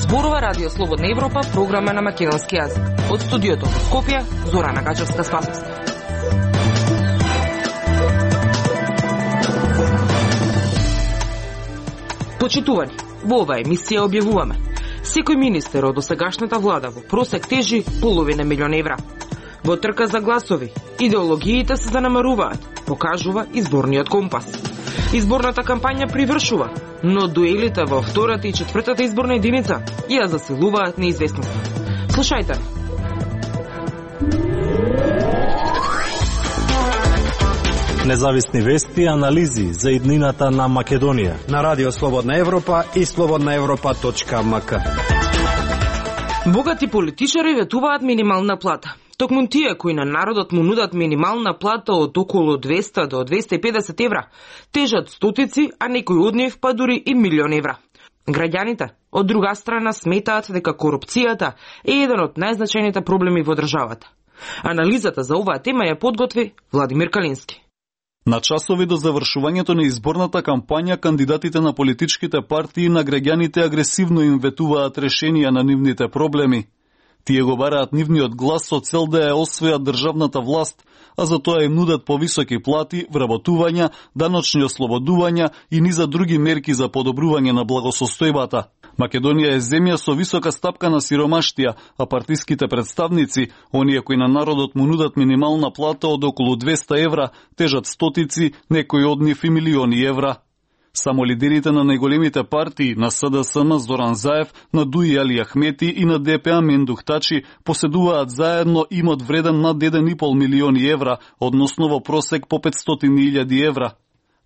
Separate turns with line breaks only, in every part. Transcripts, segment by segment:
Зборува Радио Слободна Европа, програма на македонски јазик. Од студиото во Скопје, Зорана Гачевска-Спасовска. Почитувани, во оваа емисија објавуваме: секој министер од досегашната влада во просек тежи половина милион евра. Во трка за гласови, идеологиите се занамаруваат, покажува изборниот компас. Изборната кампања привршува, но дуелите во втората и четвртата изборна единица ја засилуваат неизвестноста. Слушајте.
Независни вести и анализи за иднината на Македонија
на Радио Слободна Европа и slobodnaevropa.mk.
Богати политичари ветуваат минимална плата. Токму тие кои на народот му нудат минимална плата од околу 200 до 250 евра, тежат стотици, а некои од нив па дури и милион евра. Граѓаните, од друга страна, сметаат дека корупцијата е еден од најзначајните проблеми во државата. Анализата за оваа тема ја подготви Владимир Калински.
На часови до завршувањето на изборната кампања, кандидатите на политичките партии на граѓаните агресивно им ветуваат решенија на нивните проблеми. Тие го бараат нивниот глас со цел да ја освојат државната власт, а за тоа им нудат повисоки плати, вработувања, даночни ослободувања и низа други мерки за подобрување на благосостојбата. Македонија е земја со висока стапка на сиромаштија, а партиските представници, оние кои на народот му нудат минимална плата од околу 200 евра, тежат стотици, некои од нив и милиони евра. Само лидерите на најголемите партии, на СДСМ Зоран Заев, на ДУИ Али Ахмети и на ДПА Мендух Тачи, поседуваат заедно имот вреден над 1,5 милиони евра, односно во просек по 500.000 евра.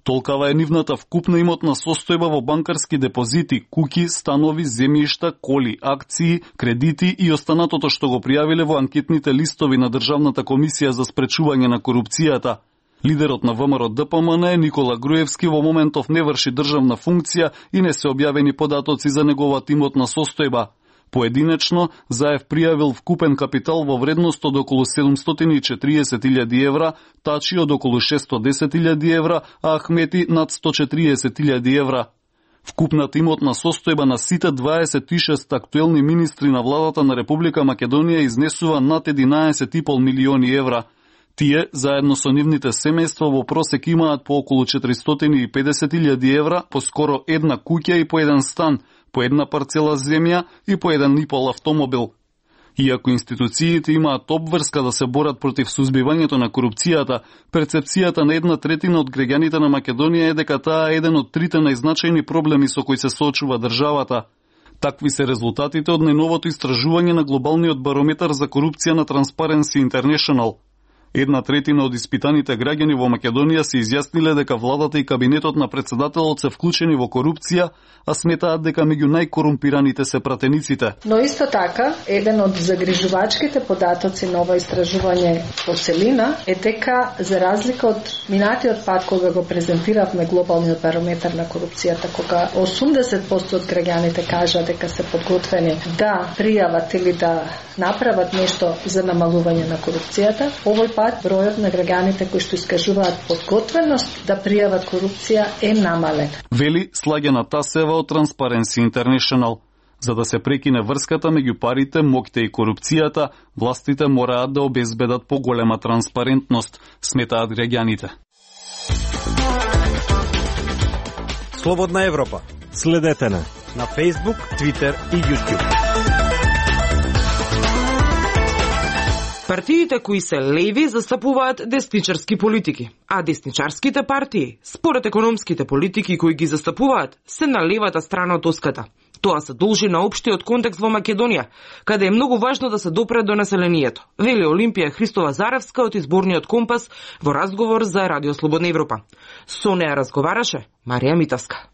Толкава е нивната вкупна имотна состојба во банкарски депозити, куќи, станови, земјишта, коли, акции, кредити и останатото што го пријавиле во анкетните листови на Државната комисија за спречување на корупцијата. Лидерот на ВМРО ДПМН Никола Груевски во моментов не врши државна функција и не се објавени податоци за неговата имотна состојба. Поединечно, Заев пријавил вкупен капитал во вредност од околу 740.000 евра, Тачи од околу 610.000 евра, а Ахмети над 140.000 евра. Вкупната имотна состојба на сите 26 актуелни министри на владата на Република Македонија изнесува над 11,5 милиони евра. Тие, заедно со нивните семејства, во просек имаат по околу 450.000 евра, по скоро една куќа и по еден стан, по една парцела земја и по еден и пол автомобил. Иако институциите имаат обврска да се борат против сузбивањето на корупцијата, перцепцијата на 1/3 од граѓаните на Македонија е дека таа е еден од трите најзначајни проблеми со кои се соочува државата. Такви се резултатите од најновото истражување на глобалниот барометар за корупција на Transparency International. 1/3 од испитаните граѓани во Македонија се изјасниле дека владата и кабинетот на председателот се вклучени во корупција, а сметаат дека меѓу најкорумпираните се пратениците.
Но исто така, еден од загрижувачките податоци на ова истражување по целина е дека, за разлика од минатиот пат кога го презентиравме глобалниот барометар на корупцијата, кога 80% од граѓаните кажа дека се подготвени да пријават или да направат нешто за намалување на корупцијата, овој пат бројот на граѓаните кои што искажуваат подготвеност да пријават корупција е намален.
Вели Слагена Тасева од Transparency International. За да се прекине врската меѓу парите, моќта и корупцијата, властите мораат да обезбедат поголема транспарентност, сметаат граѓаните.
Слободна Европа.
Следете на
Facebook, Twitter и YouTube.
Партиите кои се леви застапуваат десничарски политики, а десничарските партии, според економските политики кои ги застапуваат, се на левата страна од оската. Тоа се должи на општиот контекст во Македонија, каде е многу важно да се допре до населението, вели Олимпија Христова Заревска од изборниот компас во разговор за Радио Слободна Европа. Со неа разговараше Марија Митовска.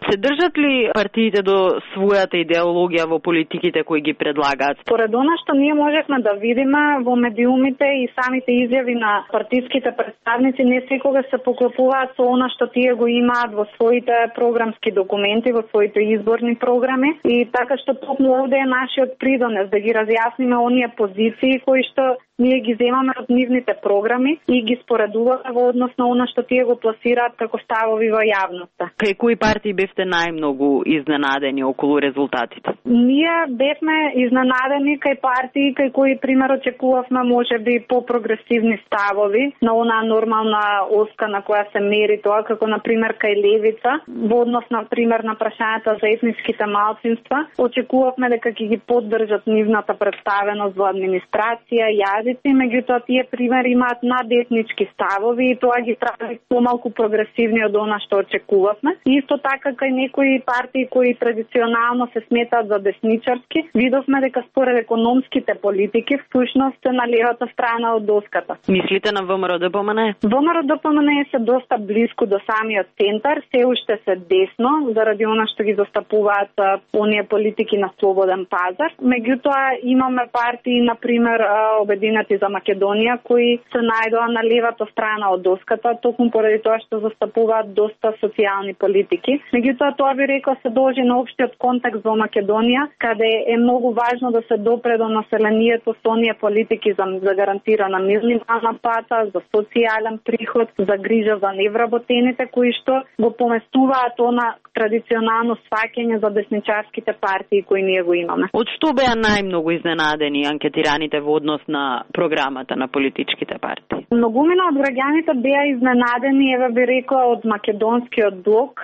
Се држат ли партиите до својата идеологија во политиките кои ги предлагаат?
Според она што ние можевме да видиме во медиумите и самите изјави на партиските представници, не секогаш се поклопуваат со она што тие го имаат во своите програмски документи, во своите изборни програми, и така што токму овде е нашиот придонес да ги разјасниме оние позиции кои што ние ги земаме од нивните програми и ги споредуваме во однос на она што тие го пласираат како ставови во јавноста.
Кај кои партии бевте најмногу изненадени околу резултатите?
Ние бевме изненадени кај партии кај кои пример очекувавме можеби по-прогресивни ставови на онаа нормална оска на која се мери тоа, како на пример кај левица, во однос на пример на прашањата за етниските малцинства. Очекувавме дека ќе ги поддржат нивната представеност во администрација, јазици, меѓутоа тие примери имаат надетнички ставови и тоа ги прави помалку прогресивни од она што очекувавме. Исто така кај некои партии кои традиционално се сметаат за десничарски, видовме дека според економските политики всушност се на левата страна од доската.
Мислите на ВМРО-ДПМН?
ВМРО-ДПМН се доста близко до самиот центар, се уште се десно, заради она што ги застапуваат оние политики на слободен пазар. Меѓутоа имаме партии, например Обединети за Македонија, кои се најдоа на левата страна од доската, токму поради тоа што застапуваат доста социјални политики. Меѓутоа тоа би рекла се должи на општиот контекст во Македонија, каде е многу важно да се допре до населението со оние политики за гарантирана минимална плата, за социјален приход, за грижа за невработените, кои што го поместуваат она традиционално сваќање за десничарските партии кои ние го имаме.
Од што беа најмногу изненадени анкетираните во однос на програмата на политичките партии?
Многумина од граѓаните беа изненадени, еве би рекла, од македонскиот блок,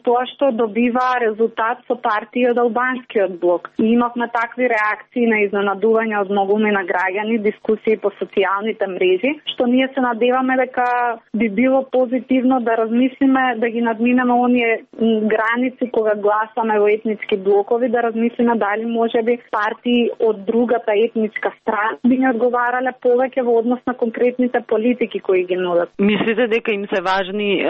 тоа што добива резултат со партии од албанскиот блок. И имавме такви реакции на изненадување од многумина граѓани, дискусии по социјалните мрежи, што ние се надеваме дека би било позитивно да размислиме да ги надминеме оние граници кога гласаме во етнички блокови, да размислиме дали можеби партии од другата етничка страна би ни одговарале повеќе во однос на конкретните политики кои ги нудат.
Мислите дека им се важни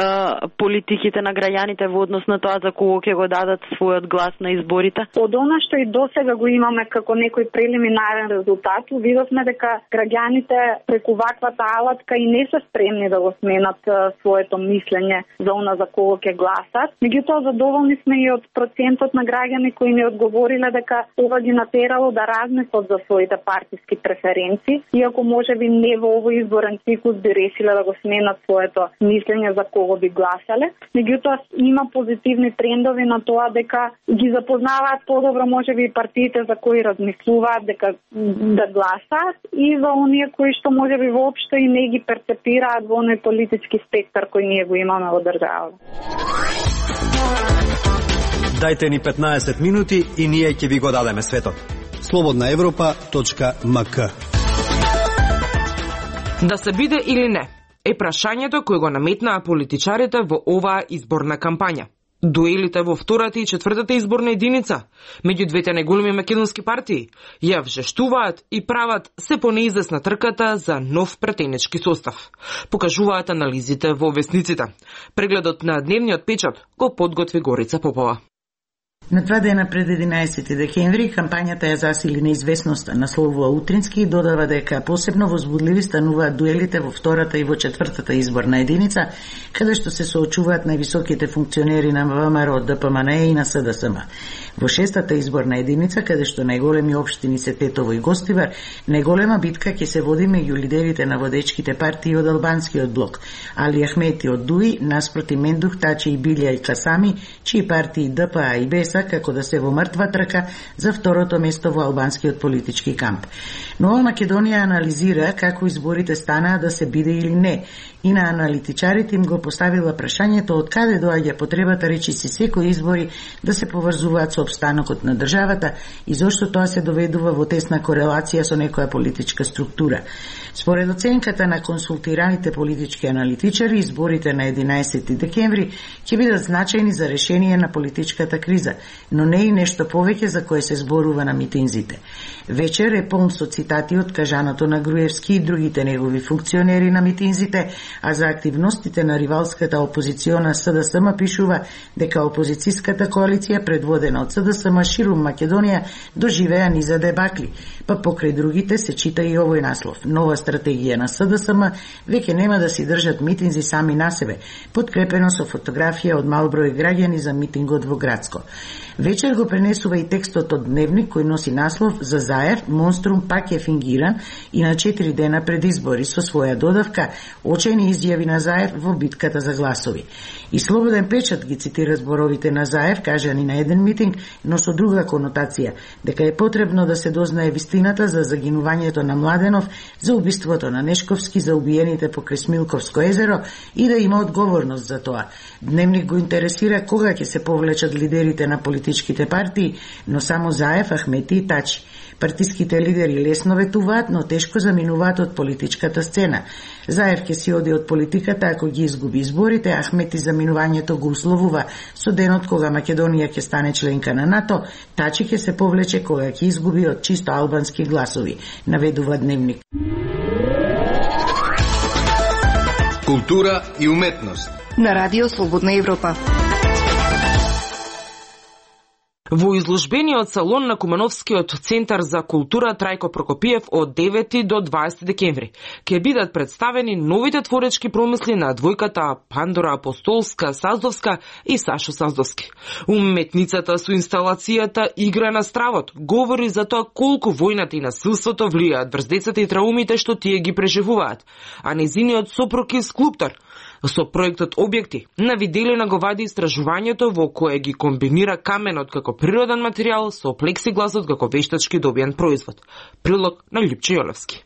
политиките на граѓаните во однос на тоа за кого ќе го дадат својот глас на изборите?
Од она што и досега го имаме како некој прелиминарен резултат, видовме дека граѓаните преку ваквата алатка и не се спремни да го сменат своето мислење за она за кого ќе гласат. Меѓутоа задоволни сме и од процентот на граѓани кои ни одговориле дека ова ги натерало да размислат за своите партиски преференции, иако можеби не во овој изборен циклус би решиле да го сменат своето мислење за кого би гласале. Меѓутоа има позитивни трендови на тоа дека ги запознаваат подобро можеби и партиите за кои размислуваат дека да гласаат и за оние кои што можеби воопшто и не ги перцепираат во оној политички спектар кој ние го имаме во државата.
Дајте ни 15 минути и ние ќе ви го дадеме светот.
slobodnaevropa.mk.
Да се биде или не е прашањето кој го наметнаа политичарите во оваа изборна кампања. Дуелите во втората и четвртата изборна единица меѓу двете најголеми македонски партии ја вжештуваат и прават се понеизвестна трката за нов претенечки состав. Покажуваат анализите во весниците. Прегледот на дневниот печат го подготви Горица Попова.
На 2 дена пред 11 декември кампањата ја засили неизвестноста, насловува Утрински и додава дека посебно возбудливи стануваат дуелите во втората и во четвртата изборна единица, каде што се соочуваат највисоките функционери на ВМРО, ДПМН и на СДСМ. Во шестата изборна единица, каде што најголеми општини се Тетово и Гостивар, најголема битка ќе се води меѓу лидерите на водечките партии од албанскиот блок, Али Ахмети од ДУИ, наспроти Мендух, Тачи и Билја и Касами, чии партии ДПА и БЕСА како да се во мртва трка за второто место во албанскиот политички камп. Нова Македонија анализира како изборите станаа да се биде или не, и на аналитичарите им го поставила прашањето од каде доаѓа потребата речиси секои избори да се поврзуваат со опстанокот на државата и зошто тоа се доведува во тесна корелација со некоја политичка структура. Според оценката на консултираните политички аналитичари, изборите на 11 декември ќе бидат значајни за решение на политичката криза, но не и нешто повеќе за кое се зборува на митинзите. Вечер е полн со цитати од кажаното на Груевски и другите негови функционери на митинзите, а за активностите на ривалската опозициона СДСМ пишува дека опозицијската коалиција предводена од СДСМ ширум Македонија доживеа низа дебакли, па покрај другите се чита и овој наслов. Нова стратегија на СДСМ веќе нема да си држат митинзи сами на себе, подкрепено со фотографија од мал број граѓани за митингот во Градско. Вечер го пренесува и текстот од Дневник кој носи наслов за Заев, монструм пак е фингиран и на 4 дена пред избори со своја додавка очајни изјави на Заев во битката за гласови. И Слободен печат ги цитира зборовите на Заев, кажани на еден митинг, но со друга конотација, дека е потребно да се дознае вистината за загинувањето на Младенов, за убиството на Нешковски, за убиените покрај Смилковско езеро и да има одговорност за тоа. Дневник го интересира кога ќе се повлечат лидерите на политичките партии, но само Заев, Ахмети и Тачи. Партиските лидери лесно ветуваат, но тешко заминуваат од политичката сцена. Заев ќе си оди од политиката ако ги изгуби изборите, Ахмети заминувањето го условува со денот кога Македонија ќе стане членка на НАТО, Тачи ќе се повлече кога ќе изгуби од чисто албански гласови, наведува Дневник.
Култура и уметност
на Радио Слободна Европа.
Во изложбениот салон на Кумановскиот центар за култура Трајко Прокопиев од 9 до 20 декември ќе бидат представени новите творечки промисли на двојката Пандора Апостолска Саздовска и Сашо Саздовски. Уметницата со инсталацијата Игра на стравот говори за тоа колку војната и насилството влијаат врз децата и траумите што тие ги преживуваат, а незиниот сопруг е скулптор. Со проектот Објекти на Виделина го вади истражувањето во кое ги комбинира каменот како природен материјал со плексигласот како вештачки добиен производ. Прилог на Лјупче Јолевски.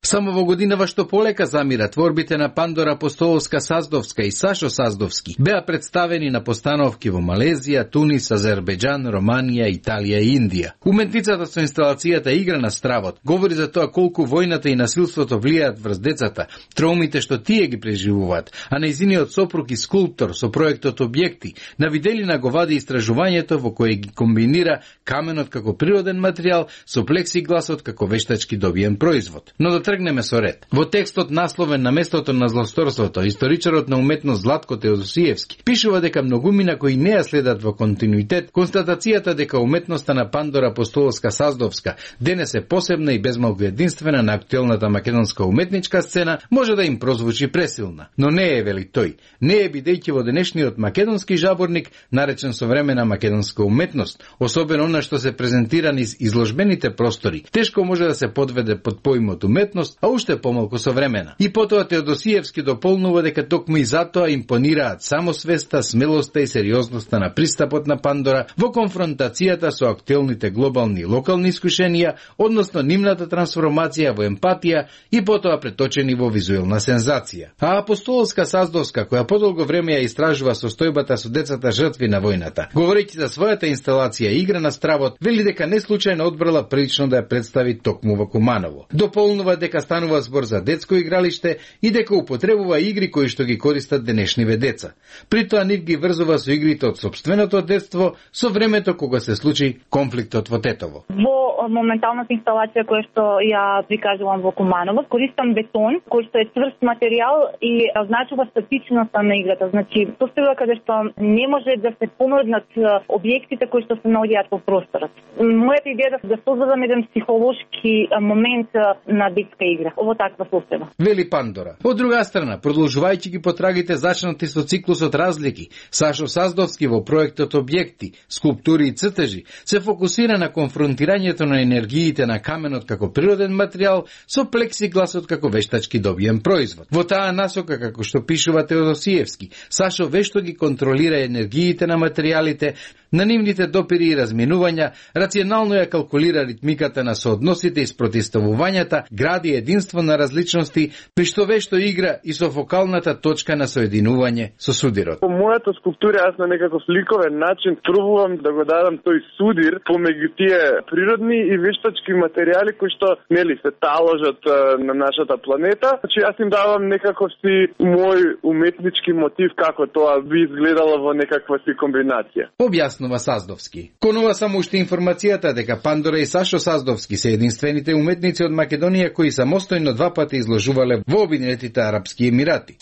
Само во годинава што полека замира творбите на Пандора Апостолска Саздовска и Сашо Саздовски беа представени на постановки во Малезија, Тунис, Азербејџан, Романија, Италија и Индија. Уметницата со инсталацијата Игра на стравот говори за тоа колку војната и насилството влијаат врз децата, траумите што тие ги преживуваат, а нејзиниот сопруг и скулптор со проектот Објекти на Виделина го вади истражувањето во кое ги комбинира каменот како природен материјал со плексигласот како вештачки добиен производ. Но да тргнеме со ред. Во текстот насловен на местото на злосторството, историчарот на уметност Златко Теодосиевски пишува дека многумина кои не ја следат во континуитет констатацијата дека уметноста на Пандора Апостолска Саздовска денес е посебна и безмалку единствена на актуелната македонска уметничка сцена може да им прозвучи пресилна. Но не е, вели тој. Не е, бидејќи во денешниот македонски жаборник, наречен современа македонска уметност, особено она што се презентира низ изложбените простори, тешко може да се подведе под поимот уметност, а уште помалку современа. И потоа Теодосиевски дополнува дека токму и затоа импонираат самосвеста, смелоста и сериозноста на пристапот на Пандора во конфронтацијата со актуелните глобални и локални искушенија, односно нивната трансформација во емпатија и потоа преточени во визуелна сензација. А Апостолска Саздовска, која подолго време ја истражува состојбата со децата жртви на војната, говорејќи за својата инсталација Игра на стравот, вели дека не случајно одбрала прилично да ја представи токму во Куманово. Дополнува дека станува збор за детско игралиште и дека употребува игри кои што ги користат денешниве деца. При тоа нив ги врзува со игрите од сопственото детство со времето кога се случи конфликтот во Тетово.
Во моменталната инсталација која што ја прикажувам во Куманово, користам бетон кој што е цврст материјал и означува статичноста на играта. Значи, состојба каде што не може да се помрднат објектите кои што се наоѓаат во просторот. Мојата идеја е да создадам еден психолошки момент на детска игра. Ово таква состојба.
Вели Пандора. Од друга страна, продолжувајќи ги потрагите зачнати со циклусот разлики, Сашо Саздовски во проектот Објекти, скулптури и цртежи се фокусира на конфронтирањето на енергиите на каменот како природен материјал со плексигласот како вештачки добиен производ. Во таа насока, како што пишува Теодосиевски, Сашо вешто ги контролира енергиите на материјалите, на нивните допири и разминувања, рационално ја калкулира ритмиката на соодносите и спротивставувањата, гради единство на различности, при што вешто игра и со фокалната точка на соединување со судирот.
По мојата скулптура јас на некаков ликовен начин пробувам да го дадам тој судир помеѓу тие природни
и вештачки материјали кои што нели се таложат на нашата планета. Значи јас им давам некаков си мој уметнички мотив како тоа би изгледало во некаква си комбинација.
Објаснува Саздовски. Конува само уште информацијата дека Пандора и Сашо Саздовски се единствените уметници од Македонија кои самостојно 2 пати изложувале во Обединетите Арапски Емирати.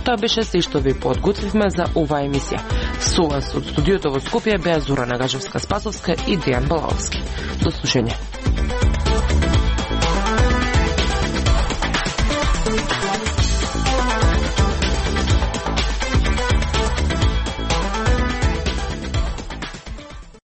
Тоа беше се што ви подготвивме за оваа емисија. Со вас од студиото во Скопје беа Зора Нагажевска-Спасовска и Дејан Балаовски. До слушање.